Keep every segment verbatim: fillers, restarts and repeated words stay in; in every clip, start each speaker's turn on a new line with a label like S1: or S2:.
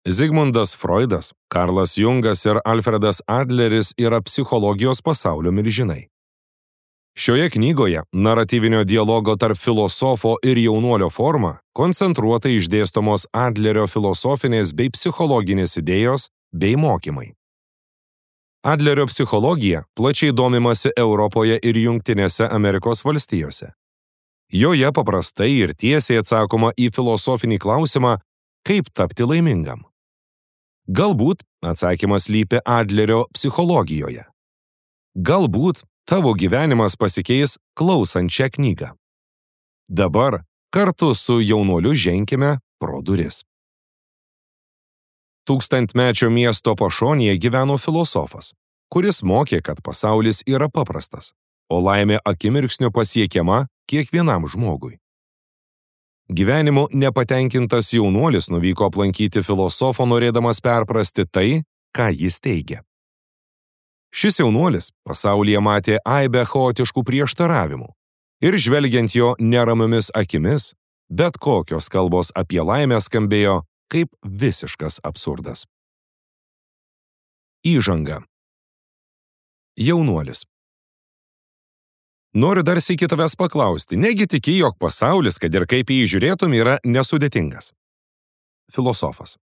S1: Zigmundas Freudas, Karlas Jungas ir Alfredas Adleris yra psichologijos pasaulio milžinai. Šioje knygoje naratyvinio dialogo tarp filosofo ir jaunuolio forma koncentruotai išdėstomos Adlerio filosofinės bei psichologinės idėjos bei mokymai. Adlerio psichologija plačiai domimasi Europoje ir Jungtinėse Amerikos valstijose. Joje paprastai ir tiesiai atsakoma į filosofinį klausimą, kaip tapti laimingam. Galbūt atsakymas slypi Adlerio psichologijoje. Galbūt tavo gyvenimas pasikeis klausant šią knygą. Dabar kartu su jaunuoliu ženkime pro duris. Tūkstantmečio miesto pašonėje gyveno filosofas, kuris mokė, kad pasaulis yra paprastas, o laimė akimirksniu pasiekiama kiekvienam žmogui. Gyvenimu nepatenkintas jaunuolis nuvyko aplankyti filosofo, norėdamas perprasti tai, ką jis teigia. Šis jaunuolis pasaulyje matė aibę chaotiškų prieštaravimų ir žvelgiant jo neramiomis akimis, bet kokios kalbos apie laimę skambėjo kaip visiškas absurdas. Įžanga. Jaunuolis. Noriu dar sykį tavęs paklausti, negi tiki, jog pasaulis, kad ir kaip jį žiūrėtum, yra nesudėtingas? Filosofas.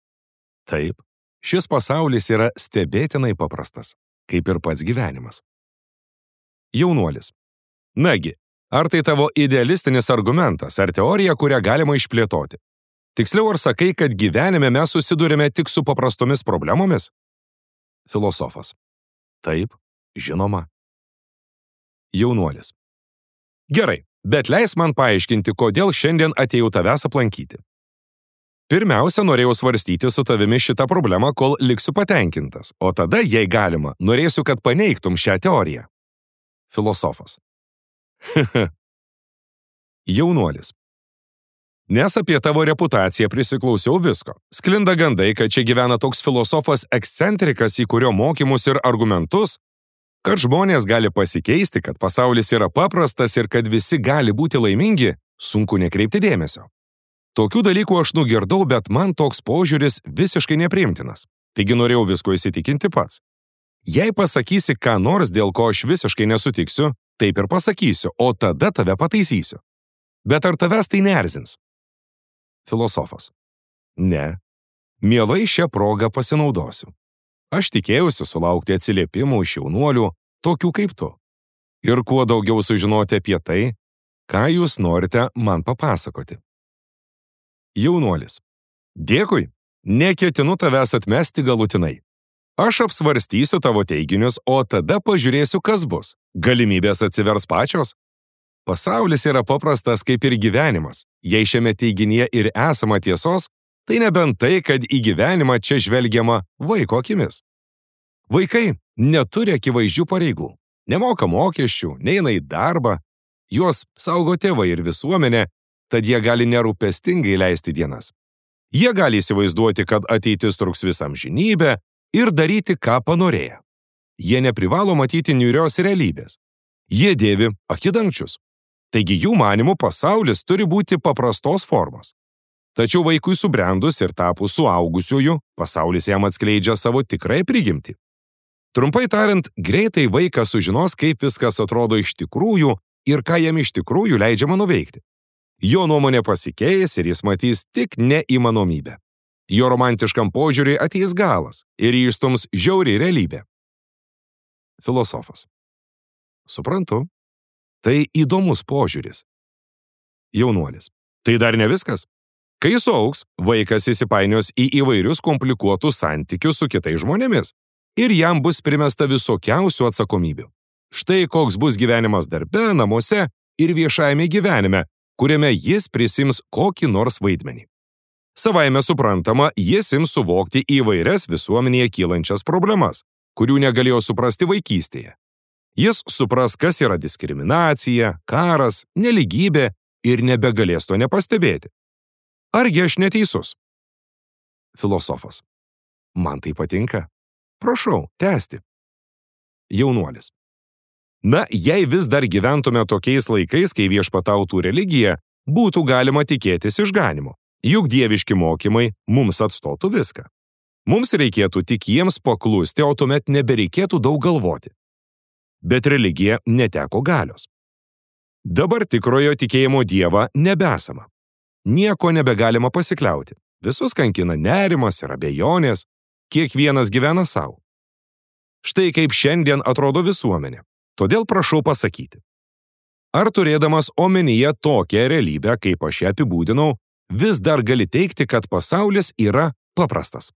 S1: Taip, šis pasaulis yra stebėtinai paprastas, kaip ir pats gyvenimas. Jaunuolis. Nagi, ar tai tavo idealistinis argumentas, ar teorija, kurią galima išplėtoti? Tiksliau, ar sakai, kad gyvenime mes susidurime tik su paprastomis problemomis? Filosofas. Taip, žinoma. Jaunuolis. Gerai, bet leis man paaiškinti, kodėl šiandien atėjau tavęs aplankyti. Pirmiausia, norėjau svarstyti su tavimi šitą problemą, kol liksiu patenkintas, o tada, jei galima, norėsiu, kad paneigtum šią teoriją. Filosofas. Jaunuolis. Nes apie tavo reputaciją prisiklausiau visko. Sklinda gandai, kad čia gyvena toks filosofas ekscentrikas, į kurio mokymus ir argumentus, kad žmonės gali pasikeisti, kad pasaulis yra paprastas ir kad visi gali būti laimingi, sunku nekreipti dėmesio. Tokių dalykų aš nugirdau, bet man toks požiūris visiškai nepriimtinas. Taigi norėjau visko įsitikinti pats. Jei pasakysi ką nors, dėl ko aš visiškai nesutiksiu, taip ir pasakysiu, o tada tave pataisysiu. Bet ar tavęs tai neerzins? Filosofas. Ne. Mielai šią progą pasinaudosiu. Aš tikėjausi sulaukti atsiliepimų iš jaunuolių, tokių kaip tu. Ir kuo daugiau sužinoti apie tai, ką jūs norite man papasakoti. Jaunuolis. Dėkui, neketinu tavęs atmesti galutinai. Aš apsvarstysiu tavo teiginius, o tada pažiūrėsiu, kas bus. Galimybės atsivers pačios. Pasaulis yra paprastas kaip ir gyvenimas. Jei šiame teiginyje ir esama tiesos, tai nebent tai, kad į gyvenimą čia žvelgiama vaiko akimis. Vaikai neturi akivaizdžių pareigų, nemoka mokesčių, neina į darbą, juos saugo tėvai ir visuomenė, tad jie gali nerūpestingai leisti dienas. Jie gali įsivaizduoti, kad ateitis truks visą amžinybę ir daryti, ką panorėję. Jie neprivalo matyti niūrios realybės. Jie dėvi akidangčius. Taigi jų manimų pasaulis turi būti paprastos formos. Tačiau vaikui subrendus ir tapus suaugusiuoju, pasaulis jam atskleidžia savo tikrąją prigimtį. Trumpai tariant, greitai vaikas sužinos, kaip viskas atrodo iš tikrųjų ir ką jam iš tikrųjų leidžiama nuveikti. Jo nuomonė pasikeis ir jis matys tik neįmanomybę. Jo romantiškam požiūriui ateis galas ir jį išstums žiauri realybė. Filosofas. Suprantu. Tai įdomus požiūris. Jaunuolis. Tai dar ne viskas. Kai suaugs, vaikas įsipainios į įvairius komplikuotus santykius su kitais žmonėmis ir jam bus primesta visokiausių atsakomybių. Štai koks bus gyvenimas darbe, namuose ir viešajame gyvenime, kuriame jis prisims kokį nors vaidmenį. Savaime suprantama, jis ims suvokti įvairias visuomenėje kylančias problemas, kurių negalėjo suprasti vaikystėje. Jis supras, kas yra diskriminacija, karas, nelygybė ir nebegalės to nepastebėti. Argi aš neteisus? Filosofas. Man tai patinka. Prašau, tęsti. Jaunuolis. Na, jei vis dar gyventume tokiais laikais, kai viešpatautų religija, būtų galima tikėtis išganimo. Juk dieviški mokymai mums atstotų viską. Mums reikėtų tik jiems paklusti, o tuomet nebereikėtų daug galvoti. Bet religija neteko galios. Dabar tikrojo tikėjimo Dievą nebesama. Nieko nebegalima pasikliauti. Visus kankina nerimas ir abejonės, kiekvienas gyvena savo. Štai kaip šiandien atrodo visuomenė. Todėl prašau pasakyti. Ar turėdamas omenyje tokią realybę, kaip aš ją apibūdinau, vis dar gali teigti, kad pasaulis yra paprastas?